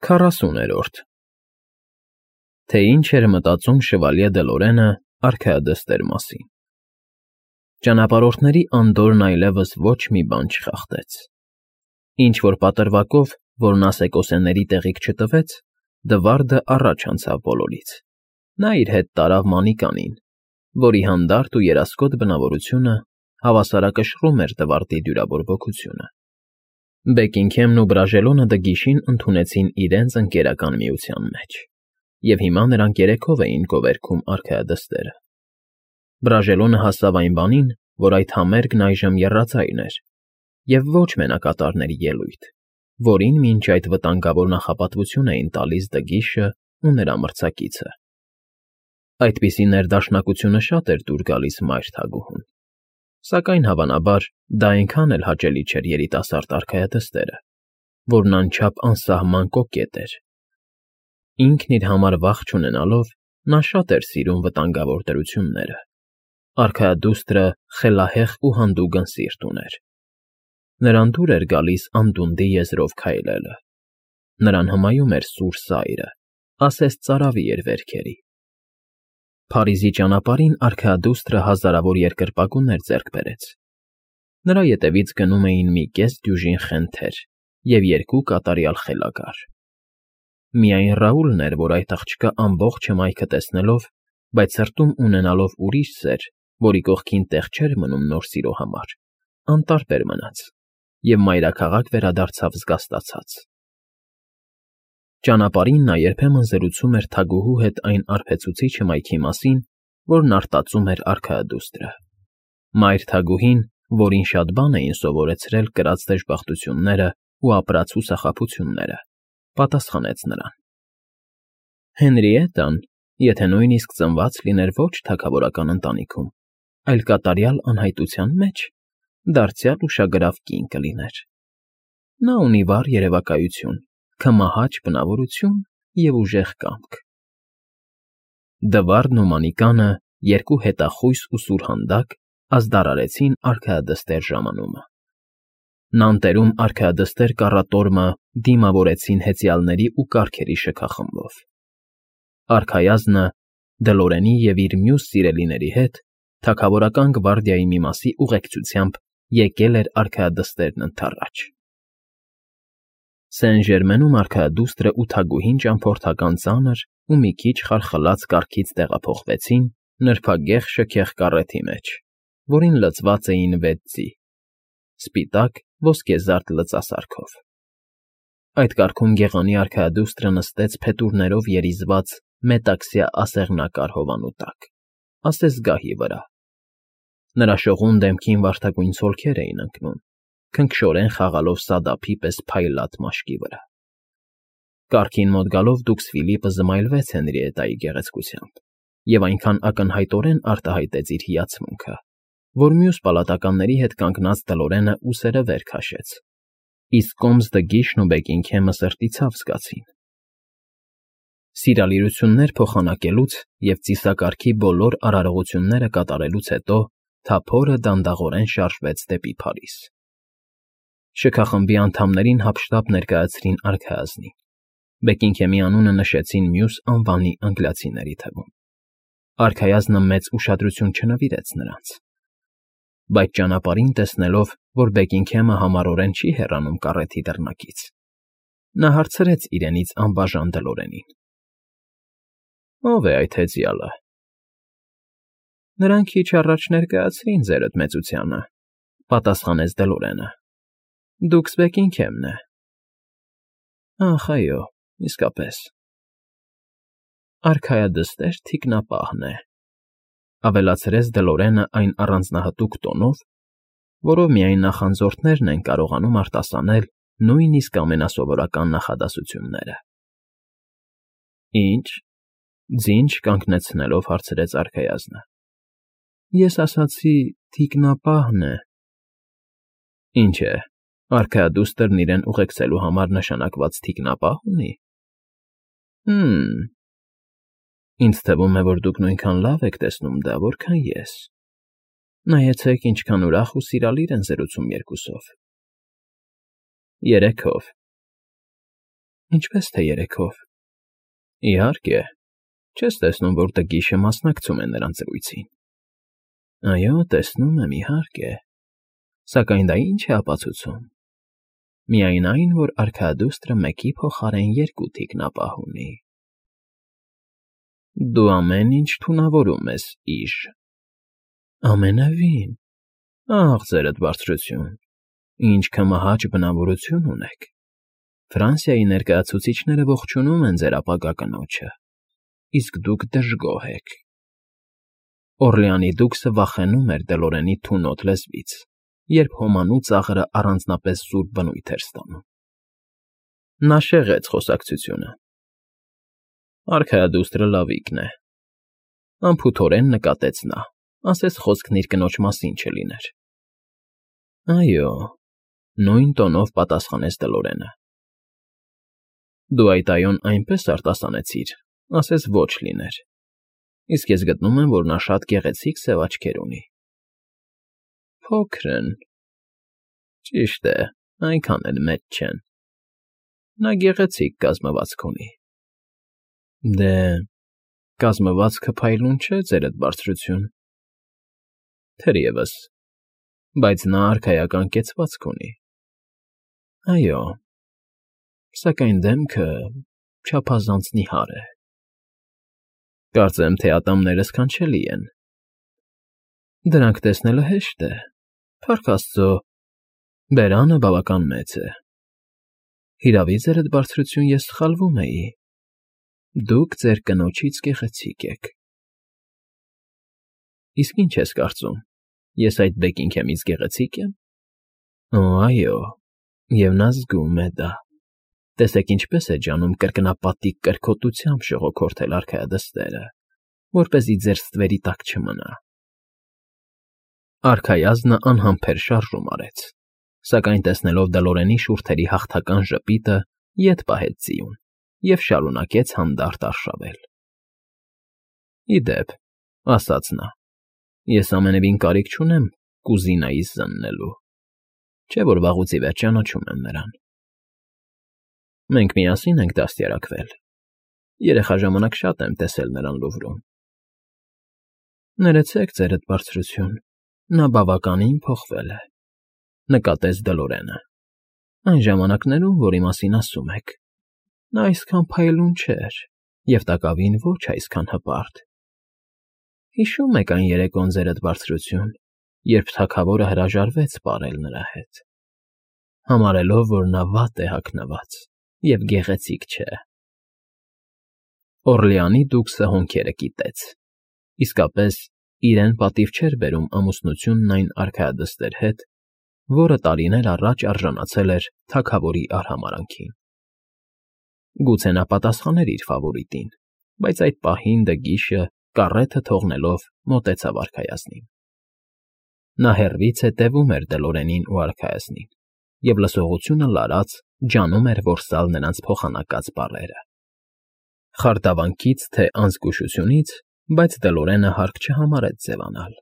40-րդ Թե ինչ էր մտածում շվալյե Դելորենը արքայադստեր մասին։ Ճանապարհորդների անդորրն այլևս ոչ մի բան չխախտեց։ Ինչ-որ պատրվակով, որն ասեկոսեների տեղիք չտվեց, Դվարդը առաջ անցավ բոլորից։ Նա իր հետ տարավ Մանիկանին, որի հանդարտ ու երասկոտ բնավորությունը հավասարակշռում էր Դվարդի դյուրավոր ոգությունը։ Բեկինգհեմն ու Բրաժելոնը դգիշին ընդունեցին իրենց ընկերական միության մեջ, և հիմա նրանք երեքով էին գովերգում արքայադստերը։ Բրաժելոնը հասավ այն բանին, որ այդ համերգն այժմ եռաձայն էր, և ոչ մենակատարների ելույթ, որին մինչ այդ վտանգավոր նախապատվություն էին տալիս Դգիշն ու նրա մրցակիցը։ Այդպիսի ներդաշնակությունը շատ էր դուր գալիս մայր թագուհուն, սակայն, հավանաբար, դա այնքան էլ հաճելի չէր երիտասարդ արքայադստերը, որն անչափ անսահման կոկետ էր։ Ինքն իր համար վախ չունենալով, նա շատ էր սիրում վտանգավոր դրությունները։ Արքայադուստրը խելահեղ ու հանդուգն սիրտ ուներ։ Նրան դուր էր գալիս անդունդի եզրով քայլելը։ Նրան հմայում էր սուր սայրը, ասես ծարավի էր վերքերի։ Փարիզի ճանապարհին արքայադուստրը հազարավոր երկրպագուներ ձեռք բերեց։ Նրա ետևից գնում էին մի կես դյուժին խենթեր և 2 կատարյալ խելագար։ Միայն Ռաուլն էր, որ այդ աղջկա ամբողջ հմայքը տեսնելով, բայց սրտում ունենալով ուրիշ սեր, որի կողքին տեղ չէր մնում նոր սիրո համար, անտարբեր մնաց և մայրաքաղաք վերադարձավ զգաստացած։ Ճանապարհին նա երբեմն զրուցում էր թագուհու հետ այն արբեցուցիչ հմայքի մասին, որն արտածում էր արքայադուստրը։ Մայր թագուհին, որին շատ բան էին սովորեցրել կրած դժբախտությունները ու ապրած հուսախաբությունները, պատասխանեց նրան. Հենրիետան, եթե նույնիսկ ծնված լիներ ոչ թագավորական ընտանիքում, այլ կատարյալ անհայտության մեջ, դարձյալ ուշագրավ կին կլիներ։ Նա ունի վառ երևակայություն, քմահաճ բնավորություն և ուժեղ կամք։ Դվարդն ու Մանիկանը, 2 հետախույս ու սուրհանդակ, ազդարարեցին արքայադստեր ժամանումը։ Նանտերում արքայադստեր կառատորմը դիմավորեցին հեծյալների ու կառքերի շքախմբով։ Արքայազնը Դլորենի և իր մյուս սիրելիների հետ թագավորական գվարդիայի մի մասի ուղեկցությամբ եկել էր արքայադստերն ընդառաջ։ Սեն֊Ժերմենում արքայադուստրը ու թագուհին ճամփորդական ծանր ու մի քիչ խարխլած կառքից տեղափոխվեցին նրբագեղ շքեղ կառեթի մեջ, որին լցված էին 6 ձի՝ սպիտակ ոսկեզարդ լծասարքով։ Այդ կառքում գեղանի արքայադուստրը նստեց փետուրներով երիզված մետաքսյա ասեղնակար հովանու տակ, ասես գահի վրա։ Նրա շողուն դեմքին վարդագույն ցոլքեր էին ընկնում, քնքշորեն խաղալով սադափի պես փայլատ մաշկի վրա։ Կառքին մոտ գալով դուքս Ֆիլիպը զմայլվեց Հենրիետայի գեղեցկությամբ և այնքան ակնհայտորեն արտահայտեց իր հիացմունքը, որ մյուս պալատականների հետ կանգնած Դլորենը ուսերը վեր քաշեց, իսկ կոմս Դգիշն ու Բեկինգհեմը սրտի ցավ զգացին։ Սիրալիրություններ փոխանակելուց և ծիսակարգի բոլոր արարողությունները կատարելուց հետո թափորը դանդաղորեն շարժվեց դեպի Փարիզ։ Շքախմբի անդամներին հափշտապ ներկայացրին արքայազնին, Բեկինգհեմի անունը նշեցին մյուս անվանի անգլիացիների թվում։ Արքայազնը մեծ ուշադրություն չնվիրեց նրանց։ Բայց ճանապարհին տեսնելով, որ Բեկինգհեմը համառորեն չի հեռանում կառեթի դռնակից, նա հարցրեց իրենից անբաժան Դլորենին. Ո՞վ է այդ հեծյալը։ Նրան քիչ առաջ ներկայացրին ձերդ մեծությանը, պատասխանեց Դլորենը։ Դուքս Բեկինգհեմն է։ Ախ, այո, իսկապես։ Արքայադստեր թիկնապահն է, ավելացրեց Դլորենը այն առանձնահատուկ տոնով, որով միայն նախանձորդներն են կարողանում արտասանել նույնիսկ ամենասովորական նախադասությունները։ Ինչ, ձին չկանգնեցնելով հարցրեց արքայազնը։ Ես ասացի թիկնապահն է։ Ինչ է, արքայադուստրն իրեն ուղեկցելու համար նշանակված թիկնապահ ունի։ Ինձ թվում է, որ դուք նույնքան լավ եք տեսնում դա, որքան ես։ Նայեցեք, ինչքան ուրախ ու սիրալիր են զրուցում երկուսով։ 3-ով։ Ինչպես թե երեքով։ Իհարկե, չես տեսնում, որ Տգիշը մասնակցում է նրանց զրույցին։ Այո, տեսնում եմ, իհարկե, սակայն դա ինչ է ապացուցում։ Միայն այն, որ արքայադուստրը մեկի փոխարեն երկու թիկնապահ ունի։ Դու ամեն ինչ թունավորում ես, Իժ։ Ամենևին։ Ախ, ձերդ բարձրություն, ինչ կմահաճ բնավորություն ունեք։ Ֆրանսիայի ներկայացուցիչները ողջունում են ձեր ապագա կնոջը, իսկ դուք դժգոհ եք։ Օրլեանի դուքսը վախենում էր Դելորենի թունոտ լեզվից, երբ հոմանու ծաղրը առանձնապես սուր բնույթ էր ստանում։ Նա շեղեց խոսակցությունը։ Արքայադուստրը լավիկն է։ Անփութորեն նկատեց նա, ասես խոսքն իր կնոջ մասին չլիներ։ Այո, նույն տոնով պատասխանեց Դելորենը։ Դու այդ այոն այնպես արտասանեցիր, ասես ոչ լիներ, իսկ ես գտնում եմ, որ նա շատ գեղեցիկ սև աչքեր ունի։ Փոքր են։ Ճիշտ է, այնքան էլ մեծ չեն։ Նա գեղեցիկ կազմվածք ունի։ Դե, կազմվածքը փայլուն չէ, ձերդ բարձրություն։ Թերևս, բայց նա արքայական կեցվածք ունի։ Այո, սակայն դեմքը չափազանց նիհար է։ Կարծեմ, թե ատամները սքանչելի են։ Դրանք տեսնելը հեշտ է, փառք Աստծո, բերանը բավական մեծ է։ Հիրավի, ձերդ բարձրություն, ես սխալվում էի։ Դուք ձեր կնոջից գեղեցիկ եք։ Իսկ ինչ ես կարծում, ես այդ Բեկինգհեմից գեղեցի՞կ եմ։ Օ, այո, և նա զգում է դա։ Տեսեք ինչպես է ջանում կրկնապատիկ կրքոտությամբ շողոքորթել արքայադստերը, որպեսզի ձեր ստվերի տակ չմնա։ Արքայազնը անհամբեր շարժում արեց, սակայն տեսնելով Դելորենի շուրթերի հաղթական ժպիտը, ետ պահեց ձիուն և շարունակեց հանդարտ արշավել։ Ի դեպ, ասաց նա, ես ամենևին կարիք չունեմ կուզինայիս զննելու, չէ՞ որ վաղուց ի վեր ճանաչում եմ նրան։ Մենք միասին ենք դաստիարակվել։ Երեխա ժամանակ շատ եմ տեսել նրան Լուվրում։ Ներեցեք, ձերդ բարձրություն, նա բավականին փոխվել է, նկատեց Դելորենը։ Այն ժամանակներում, որի մասին ասում եք, նա այսքան փայլուն չէր և տակավին ոչ այսքան հպարտ։ Հիշում եք այն երեկոն, ձերդ բարձրություն, երբ թագավորը հրաժարվեց պարել նրա հետ, համարելով, որ նա վատ է հագնված և գեղեցիկ չէ։ Օրլեանի դուքսը հոնքերը կիտեց։ Իսկապես, իրեն պատիվ չէր բերում ամուսնությունն այն արքայադստեր հետ, որը տարիներ առաջ արժանացել էր թագավորի արհամարհանքին։ Գուցե նա պատասխաներ իր ֆավորիտին, բայց այդ պահին Դգիշը, կառեթը թողնելով, մոտեցավ արքայազնին։ Նա հեռվից հետևում էր Դելորենին ու արքայազնին, և լսողությունը լարած ջանում էր որսալ նրանց փոխանակած բառերը։ Խարդավանքից թե անզգուշությունից, բայց Դելորենը հարկ չհամարեց ձևանալ։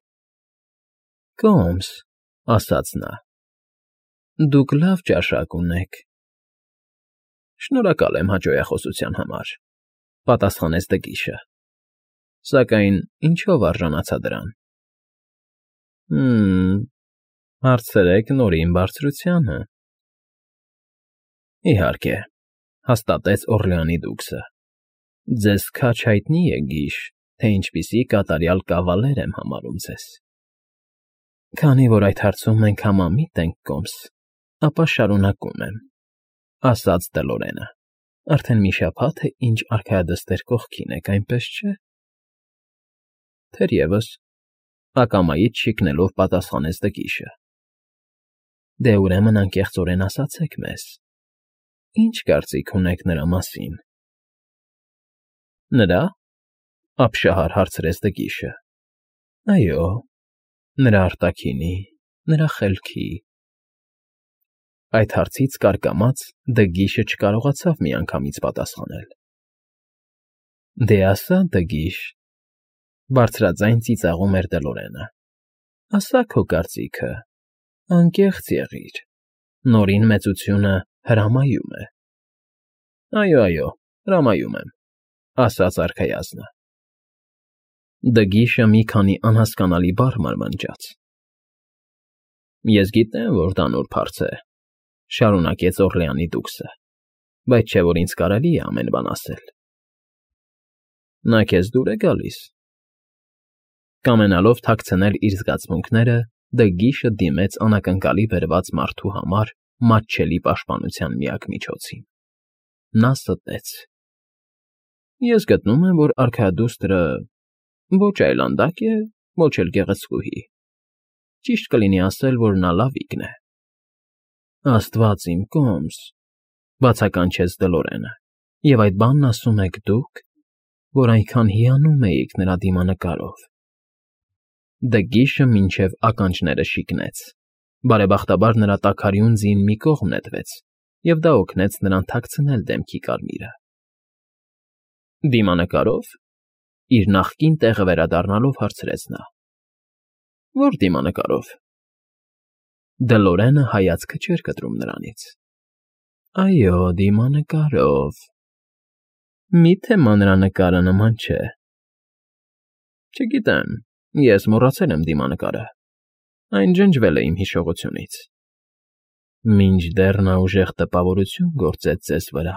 Կոմս, ասաց նա, դուք լավ ճաշակ ունեք։ Շնորհակալ եմ հաճոյախոսության համար, պատասխանեց Դգիշը, սակայն ինչով արժանացա դրան։ Հարցրեք նորին բարձրությանը։ Իհարկե, հաստատեց Օրլեանի դուքսը։ Ձեզ քաջ հայտնի է, Գիշ, թե ինչպիսի կատարյալ կավալեր եմ համարում ձեզ։ Քանի որ այդ հարցում մենք համամիտ ենք, Կոմս, ապա շարունակում եմ, ասաց Դելորենը։ Արդեն մի շաբաթ է, ինչ արքայադստեր կողքին եք, այնպես չէ։ Թերևս, ակամայից շիկնելով պատասխանեց Դգիշը։ Դե ուրեմն անկեղծորեն ասացեք մեզ, ինչ կարծիք ունեք նրա մասին։ Նրա՞, ապշահար հարցրեց Դգիշը։ Այո, նրա արտաքինի, նրա խելքի։ Այդ հարցից կարկամած Դգիշը չկարողացավ միանգամից պատասխանել։ Դե ասա, Դգիշ, բարձրաձայն ծիծաղում էր Դելորենը, ասա քո կարծիքը, անկեղծ եղիր, նորին մեծությունը հրամայում է։ Այո, հրամայում եմ, ասաց արքայազնը։ Դգիշը մի քանի անհասկանալի բառ մարմնջաց։ Ես գիտեմ, որ դա նուրբ հարց է, շարունակեց Օռլեանի դուքսը, բայց չէ՞ որ ինձ կարելի է ամեն բան ասել։ Նա քեզ դուր է գալիս։ Կամենալով թաքցնել իր զգացմունքները, Դգիշը դիմեց անակնկալի բերված մարդու համար մատչելի պաշտպանության միակ միջոցին։ Նա ստեց. Ես գտնում եմ, որ արքայադուստրը ոչ այլանդակ է, ոչ էլ գեղեցկուհի։ Ճիշտ կլինի ասել, որ նա լավիկն է։ Աստված իմ կոմս, բացականչեց Դլորենը, և այդ բանն ասում եք դուք, որ այնքան հիանում էիք նրա դիմանկարով։ Դգիշը մինչև ականջները շիկնեց։ Բարեբախտաբար նրա տաքարյուն ձին մի կողմ նետվեց, և դա օգնեց նրան թաքցնել դեմքի կարմիրը։ Դիմանկարով, իր նախկին տեղը վերադառնալով հարցրեց նա. Ո՞ր դիմանկարով։ Դլորենը հայացքը չէր կտրում նրանից։ Այո, դիմանկարով։ Մի՞թե մանրանկարը նման չէ։ Չգիտեմ, ես մոռացել եմ դիմանկարը։ Այն ջնջվել է իմ հիշողությունից։ Մինչդեռ նա ուժեղ տպավորություն գործեց ձեզ վրա,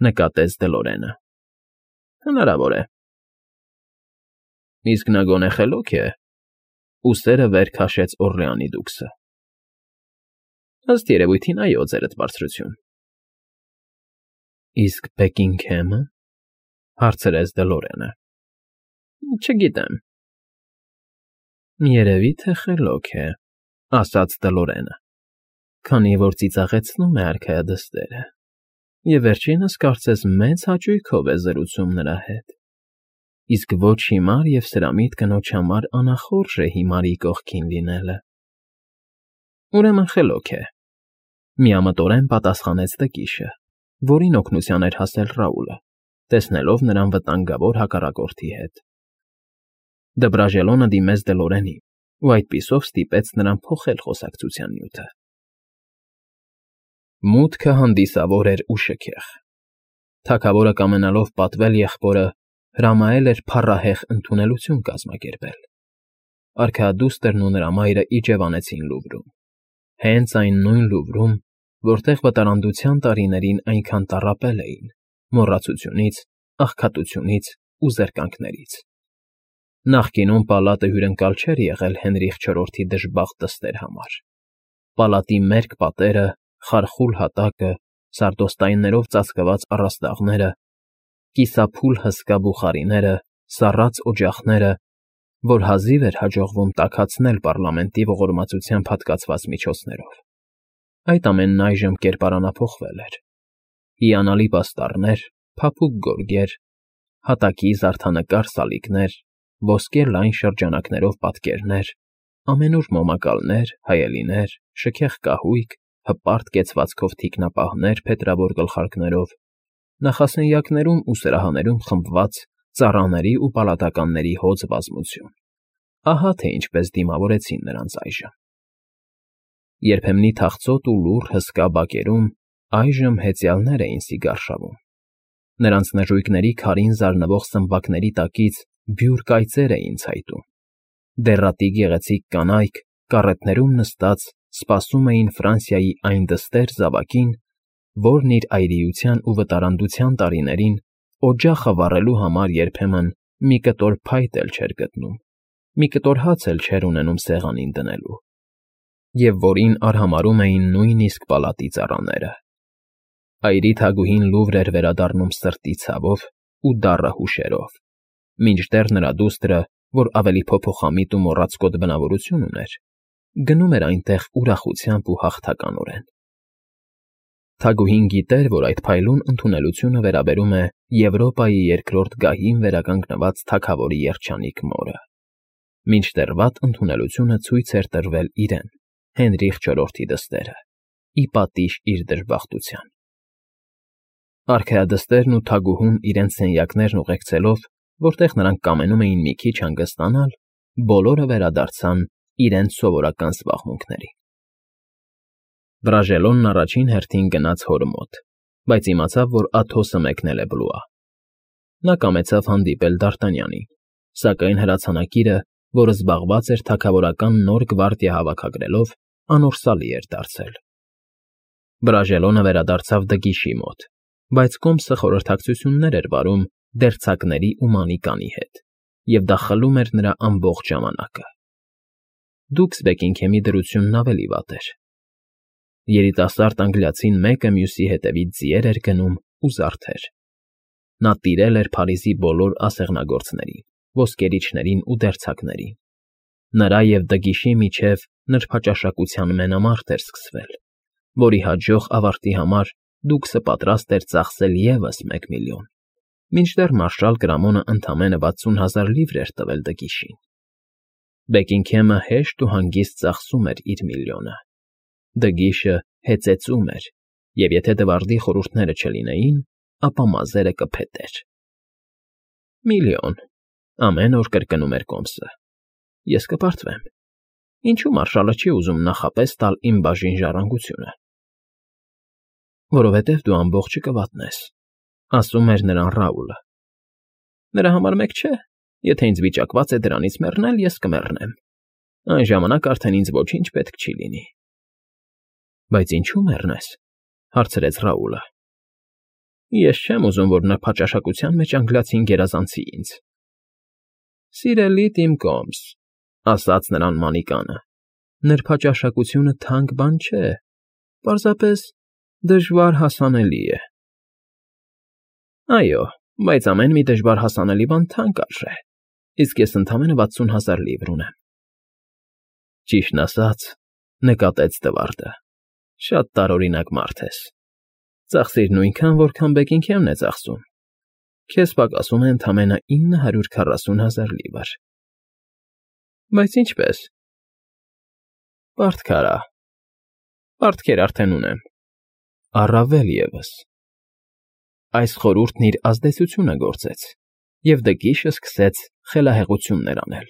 նկատեց Դլորենը։ Հնարավոր է։ Իսկ նա գոնե խելոք է, ուսերը վեր քաշեց Օռլեանի դուքսը։ Ըստ երևույթին, այո, ձերդ բարձրություն։ Իսկ Բեքինգհեմը, հարցրեց Դլորենը։ Չգիտեմ։ Երևի թե խելոք է, ասաց Դլորենը, քանի որ ծիծաղեցնում է արքայադստերը, և վերջինս կարծես մեծ հաճույքով է զրուցում նրա հետ, իսկ ոչ հիմար և սրամիտ կնոջ համար անախորժ է հիմարի կողքին լինելը։ Ուրեմն խելոք է, միամտորեն պատասխանեց Դգիշը, որին օգնության էր հասել Ռաուլը, տեսնելով նրան վտանգավոր հակառակորդի հետ։ Դբրաժելոնը դիմեց Դլորենին ու այդպիսով ստիպեց նրան փոխել խոսակցության նյութը։ Մուտքը հանդիսավոր էր ու շքեղ։ Թագավորը կամենալով պատվել եղբորը, հրամայել էր փառահեղ ընդունելություն կազմակերպել։ Արքայադուստրն ու նրա մայրը իջևանեցին Լուվրում, հենց այն նույն Լուվրում, որտեղ վտարանդության տարիներին այնքան տառապել էին մոռացությունից, աղքատությունից ու զրկանքներից։ Նախկինում պալատը հյուրընկալ չէր եղել Հենրիխ IV-ի դժբախտ դստեր համար։ Պալատի մերկ պատերը, խարխուլ հատակը, սարդոստայններով ծածկված առաստաղները, կիսափուլ հսկա բուխարիները, սառած օջախները, որ հազիվ էր հաջողվում տաքացնել պառլամենտի ողորմածությամբ հատկացված միջոցներով։ Այդ ամենն այժմ կերպարանափոխվել էր։ Հիանալի պաստառներ, փափուկ գորգեր, հատակի զարդանկար սալիկներ, ոսկե լայն շրջանակներով պատկերներ, ամենուր մոմակալներ, հայելիներ, շքեղ կահույք, հպարտ կեցվածքով թիկնապահներ փետրավոր գլխարկներով, նախասենյակներում ու սրահաներում խմբված ծառաների ու պալատականների հոծ բազմություն։ Ահա թե ինչպես դիմավորեցին նրանց այժմ։ Երբեմնի թախծոտ ու լուռ հսկա բակերում այժմ հեծյալներ էին սիգարշավում։ Նրանց նժույգների քարին զարնվող սմբակների տակից բյուր կայծեր էին ցայտում։ Դեռատի գեղեցիկ կանայք, կառետներում նստած, սպասում էին Ֆրանսիայի այն դստեր զավակին, որն իր այրիության ու վտարանդության տարիներին օջախը վառելու համար երբեմն մի կտոր փայտ էլ չէր գտնում, մի կտոր հաց էլ չէր ունենում սեղանին դնելու, և որին արհամարհում էին նույնիսկ պալատի ծառաները։ Այրի թագուհին Լուվր էր վերադառնում սրտի ցավով ու դառը հուշերով, մինչդեռ նրա դուստրը, որ ավելի փոփոխամիտ ու մոռացկոտ բնավորություն ուներ, գնում էր այնտեղ ուրախությամբ ու հաղթականորեն։ Թագուհին գիտեր, որ այդ փայլուն ընդունելությունը վերաբերում է Եվրոպայի երկրորդ գահին վերականգնված թագավորի երջանիկ մորը, մինչդեռ վատ ընդունելությունը ցույց էր տրվել իրեն, Հենրիխ IV-ի դստերը, ի պատիժ իր դժբախտության։ Արքայադստերն ու թագուհուն իրենց սենյակներն ուղեկցելով, որտեղ նրանք կամենում էին մի քիչ հանգստանալ, բոլորը վերադարձան իրենց սովորական զբաղմունքներին։ Բրաժելոնն առաջին հերթին գնաց հոր մոտ, բայց իմացավ, որ Աթոսը մեկնել է Բլուա։ Նա կամեցավ հանդիպել Դ'Արտանյանին, սակայն հրացանակիրը, որը զբաղված էր թագավորական նոր գվարդիա հավաքագրելով, անորսալի էր դարձել։ Բրաժելոնը վերադարձավ Դգիշի մոտ, բայց կոմսը խորհրդակցություններ էր վարում դերձակների ու մանիկանի հետ, և դա խլում էր նրա ամբողջ ժամանակը։ Դուքս Բեքինգհեմի դրությունն ավելի վատ էր։ Երիտասարդ անգլիացին մեկը մյուսի հետևից ձիեր էր գնում ու զարդեր։ Նա տիրել էր Փարիզի բոլոր ասեղնագործներին, ոսկերիչներին ու դերձակներին։ Նրա և Դգիշի միջև նրբաճաշակության մենամարտ էր սկսվել, որի հաջող ավարտի համար Դուքսը պատրաստ էր ծախսել ևս 1 միլիոն, մինչդեռ մարշալ Կրամոնը ընդամենը 60,000 լիվր էր տվել Դգիշին։ Բեքինգհեմը հեշտ ու հանգիստ ծախսում էր իր միլիոնը։ Դգիշը հեծեծում էր, և եթե Դվարդի խորհուրդները չլինեին, ապա մազերը կփետեր։ «Միլիոն,» ամեն օր կրկնում էր կոմսը։ «Ես կպարտվեմ։ Ինչու մարշալը չի ուզում նախապես տալ իմ բաժին ժառանգությունը»։ «Որովհետև դու ամբողջը կվատնես», ասում էր նրան Ռաուլը։ «Նրա համար մեկ չէ, եթե ինձ վիճակված է դրանից մեռնել, ես կմեռնեմ։ Այն ժամանակ արդեն ինձ ոչինչ պետք չի լինի»։ «Բայց ինչու մեռնես», հարցրեց Ռաուլը։ «Ես չեմ ուզում, որ նրբաճաշակության մեջ անգլիացին գերազանցի ինձ»։ «Սիրելի Տիմ Կոմս,» ասաց նրան Մանիկանը, «նրբաճաշակությունը թանկ բան չէ, պարզապես դժվար հասանելի է»։ «Այո, բայց ամեն մի դժվար հասանելի բան թանկ արժե, իսկ ես ընդամենը 60,000 լիվր ունեմ»։ «Ճիշտն ասած,֊ նկատեց Դվարդը,֊ շատ տարօրինակ մարդ ես։ Ծախսիր նույնքան, որքան Բեքինգհեմն է ծախսում։ Քեզ պակասում է ընդամենը 940,000 լիվր»։ «Բայց ինչպե՞ս»։ «Պարտք արա։ Պարտքեր արդեն ունեմ։ Առավել ևս»։ Այս խորհուրդն իր ազդեցությունը գործեց, և Դգիշը սկսեց խելահեղություններ անել,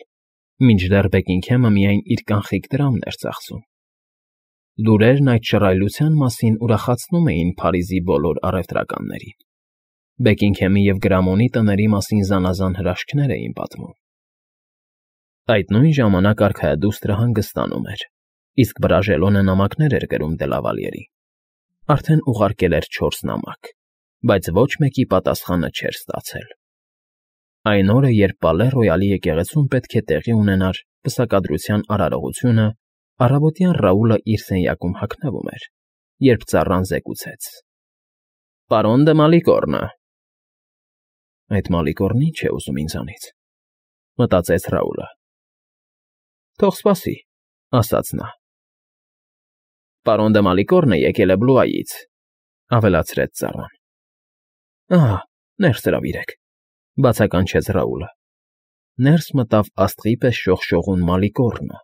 մինչդեռ Բեքինգհեմը միայն իր կանխիկ դրամն էր ծախսում։ Լուրերն այդ շռայլության մասին ուրախացնում էին Փարիզի բոլոր առևտրականներին։ Բեքինգհեմի և Գրամոնի տների մասին զանազան հրաշքներ էին պատմում։ Այդ նույն ժամանակ արքայադուստրը հանգստանում էր, իսկ Բրաժելոնը նամակներ էր գրում Դելավալիերին։ Արդեն ուղարկել էր 4 նամակ, բայց ոչ մեկի պատասխանը չէր ստացել։ Այն օրը, երբ Պալե Ռոյալի եկեղեցում պետք է տեղի ունենար պսակադրության արարողությունը, առավոտյան Ռաուլը իր սենյակում հագնվում էր, երբ ծառան զեկուցեց. «Պարոն դը Մալիկոռնը»։ «Այդ Մալիկոռնը ի՞նչ է ուզում ինձանից», մտածեց Ռաուլը։ «Թող սպասի», ասաց նա։ «Պարոն դը Մալիկոռնը եկել է Բլուայից», ավելացրեց ծառան։ «Ահա, ներս հրավիրեք», բացականչեց Ռաուլը։ Ներս մտավ աստղի պես շողշողուն Մալիկոռնը,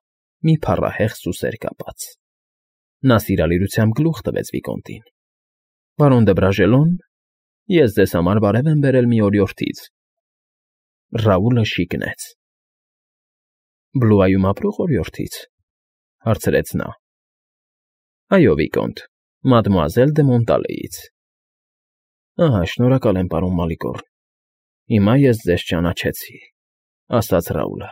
մի փառահեղ սուսեր կապած։ Նա սիրալիրությամբ գլուխ տվեց վիկոնտին։ «Պարոն դը Բրաժելոն, ես ձեզ համար բարև եմ բերել մի օրիորդից»։ Ռաուլը շիկնեց։ «Բլուայում ապրող օրիորդից», հարցրեց նա։ «Այո, վիկոնտ, մադմուազել դը Մոնտալեից»։ «Ահա, շնորհակալ եմ, պարոն Մալիկոռն, հիմա ես ձեզ ճանաչեցի», ասաց Ռաուլը։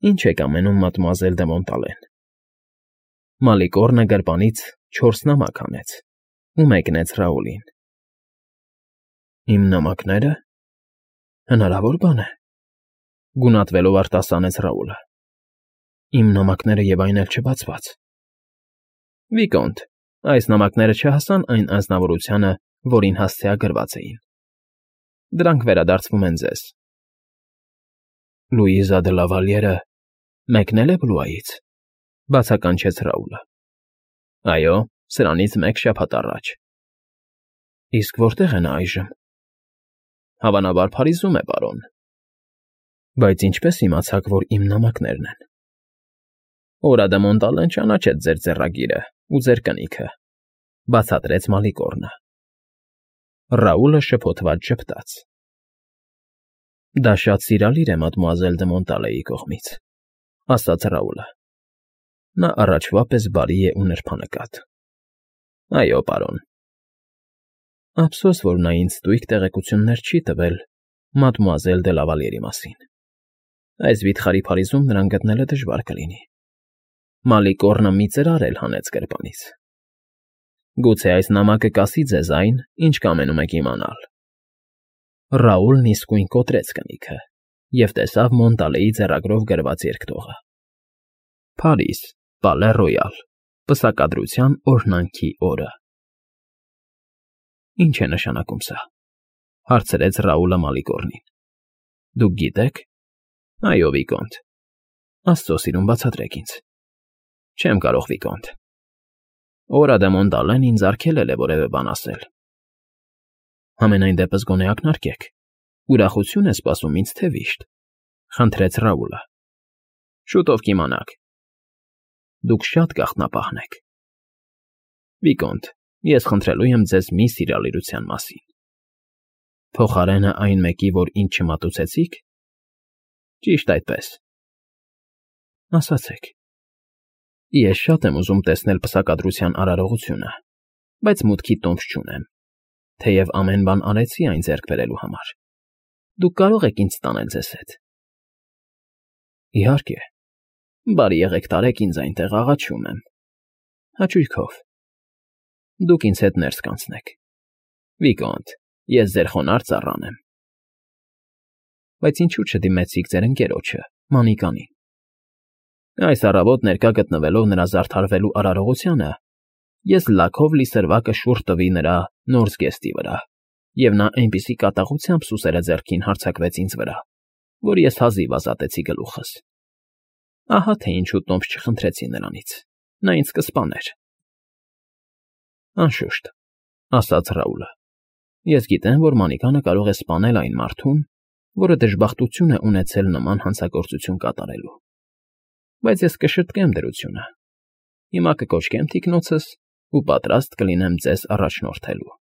«Ինչ եք ամենում, մադմուազել դը Մոնտալեն»։ Մալիկոռնը գրպանից 4 նամակ հանեց ու մեկնեց Ռաուլին։ «Իմ նամակները։ Հնարավոր բան է», գունատվելով արտասանեց Ռաուլը։ «Իմ նամակները և այն էլ չբացված»։ «Վիկոնտ, այս նամակները չհասան այն անձնավորությանը, որին հասցեագրված էին։ Դրանք վերադարձվում են ձեզ»։ «Լուիզա դը Լավալիերը մեկնել է Բլուայից», բացականչեց Ռաուլը։ «Այո, սրանից 1 շաբաթ առաջ»։ «Իսկ որտե՞ղ է նա այժմ»։ «Հավանաբար Փարիզում է, պարոն»։ «Բայց ինչպե՞ս իմացաք, որ իմ նամակներն են»։ «Օրա դը Մոնտալեն ճանաչեց ձեր ձեռագիրը ու ձեր կնիքը», բացատրեց Մալիկոռնը։ Ռաուլը շփոթված ժպտաց։ «Դա շատ սիրալիր է մադմուազել դը Մոնտալեի կողմից», ասաց Ռաուլը։ «Նա առաջվա պես բարի է ու նրբանկատ»։ «Այո, պարոն»։ Ափսոս, որ նա ինձ ստույգ տեղեկություններ չի տվել մադմուազել դե Լավալյերի մասին։ Այս վիթխարի Փարիզում նրան գտնելը դժվար կլինի։ Մալիկոռնը մի ծրար էլ հանեց գրպանից։ Գուցե այս նամակը կասի ձեզ այն, ինչ կամենում եք իմանալ։ Ռաուլն իսկույն կոտրեց կնիքը և տեսավ Մոնտալեի ձեռագրով գրված երկտողը. Փարիզ, Պալե Ռոյալ, պսակադրության օրհնանքի օրը։ Ինչ է նշանակում սա, հարցրեց Ռաուլը Մալիկոռնին։ Դուք գիտեք։ Այո, վիկոնտ։ Աստծո սիրուն բացատրեք ինձ։ Չեմ կարող, վիկոնտ։ Օրա դե Մոնտալեն ինձ արգելել է որևէ բան ասել։ Համենայն դեպս գոնե ակնարկեք։ Ուրախություն է սպասում ինձ թե վիշտ, խնդրեց Ռաուլը։ Շուտով կիմանաք։ Դուք շատ գաղտնապահն եք։ Վիկոնտ, ես խնդրելու եմ ձեզ մի սիրալիրության մասին։ Փոխարենը այն մեկի, որ ինձ չմատուցեցիք։ Ճիշտ այդպես։ Ասացեք։ Ես շատ եմ ուզում տեսնել պսակադրության արարողությունը, բայց մուտքի տոմս չունեմ, թեև ամեն բան արեցի այն ձեռք բերելու համար։ Դուք կարող եք ինձ տանել ձեզ հետ։ Իհարկե։ Բարի եղեք տարեք ինձ այնտեղ, աղաչում եմ։ Հաճույքով։ Դուք ինձ հետ ներս կանցնեք։ Վիկոնտ, ես ձեր խոնարհ ծառան եմ։ Բայց ինչու չդիմեցիք ձեր ընկերոջը, Մանիկանին։ Այս առավոտ ներկա գտնվելով նրա զարդարվելու արարողությանը, ես լաքով լի սրվակը շուռ տվի նրա նորզգեստի վրա, և նա այնպիսի կատաղությամբ սուսերը ձեռքին հարձակվեց ինձ վրա, որ ես հազիվ ազատեցի գլուխս։ Ահա թե ինչու տոմս չխնդրեցի նրանից, նա ինձ կսպաներ։ Անշուշտ, ասաց Ռաուլը, ես գիտեմ, որ Մանիկանը կարող է սպանել այն մարդուն, որը դժբախտություն է ունեցել նման հանցագործություն կատարելու։ Բայց ես կշտկեմ դրությունը։ Հիմա կկոչկեմ թիկնոցս ու պատրաստ կլինեմ ձեզ առաջնորդելու։